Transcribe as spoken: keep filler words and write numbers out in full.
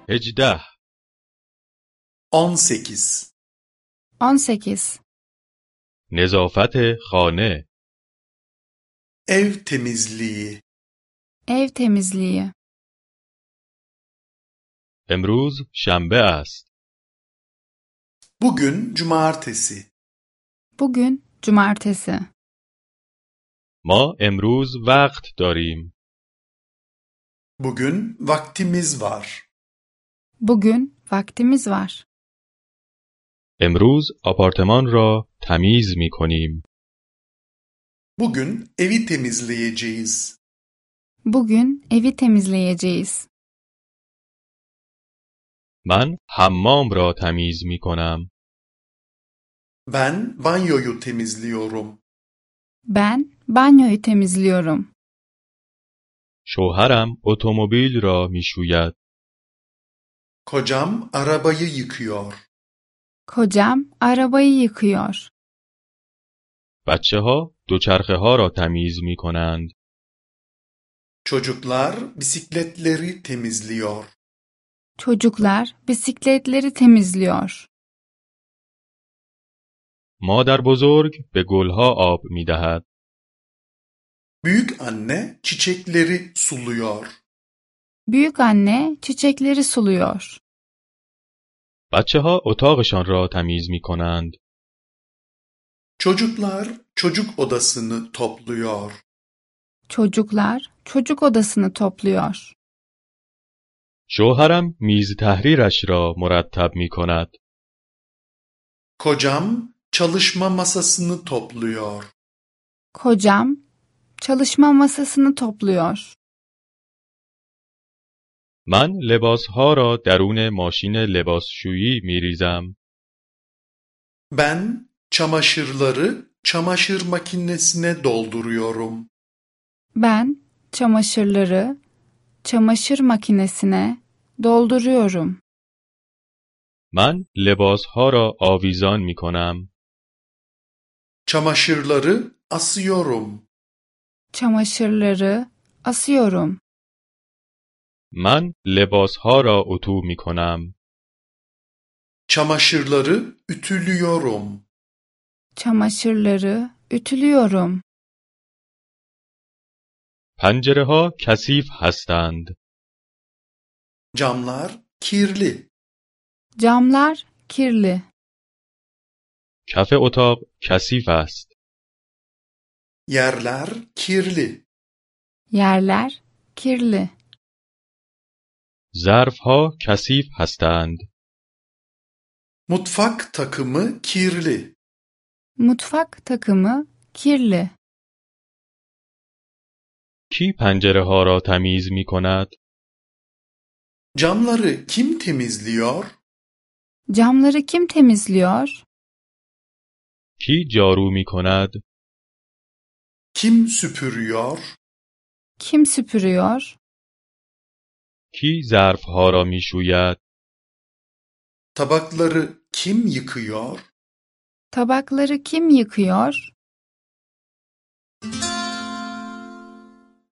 هجده on sekiz on sekiz. نظافت خانه Ev temizliği. Ev temizliği. امروز شنبه است. Bugün cumartesi. Bugün cumartesi. ما امروز وقت داریم. Bugün vaktimiz var. Bugün vaktimiz var. امروز آپارتمان را تمیز می کنیم. Bugün evi temizleyeceğiz. Bugün evi temizleyeceğiz. من حمام را تمیز می کنم. Ben banyoyu temizliyorum. Ben banyoyu temizliyorum. شوهرم اتومبیل را می شوید. Kocam arabayı yıkıyor. Kocam arabayı yıkıyor. بچه ها دوچرخه ها را تمیز می کنند. Çocuklar bisikletleri temizliyor. Çocuklar bisikletleri temizliyor. مادر بزرگ به گلها آب می دهد. Büyük anne çiçekleri suluyor. Büyük anne çiçekleri suluyor. بچه ها اتاقشان را تمیز می کنند. Çocuklar çocuk odasını topluyor. Çocuklar çocuk odasını topluyor. شوهرم میز تحریرش را مرتب می کند. Kocam çalışma masasını topluyor. Kocam çalışma masasını topluyor. من لباسها را درون ماشین لباسشویی می ریزم. Ben çamaşırları çamaşır makinesine dolduruyorum. Ben çamaşırları çamaşır makinesine dolduruyorum. من لباسها را آویزان می کنم. Çamaşırları asıyorum. Çamaşırları asıyorum. من لباسها را اتو می کنم. Çamaşırları ütülüyorum. Çamaşırları ütülüyorum. پنجره ها کثیف هستند. Camlar kirli. Camlar kirli. کف اتاق کثیف است. Yerler kirli. Yerler kirli. ظرفها کثیف هستند. Mutfak takımı kirli. Mutfak takımı kirli. کی پنجره ها را تمیز می کند؟ Camları kim temizliyor? Camları kim temizliyor? کی جارو می کند؟ Kim süpürüyor? Kim süpürüyor? کی ظرفها را می شوید؟ Tabakları kim yıkıyor? Tabakları kim yıkıyor?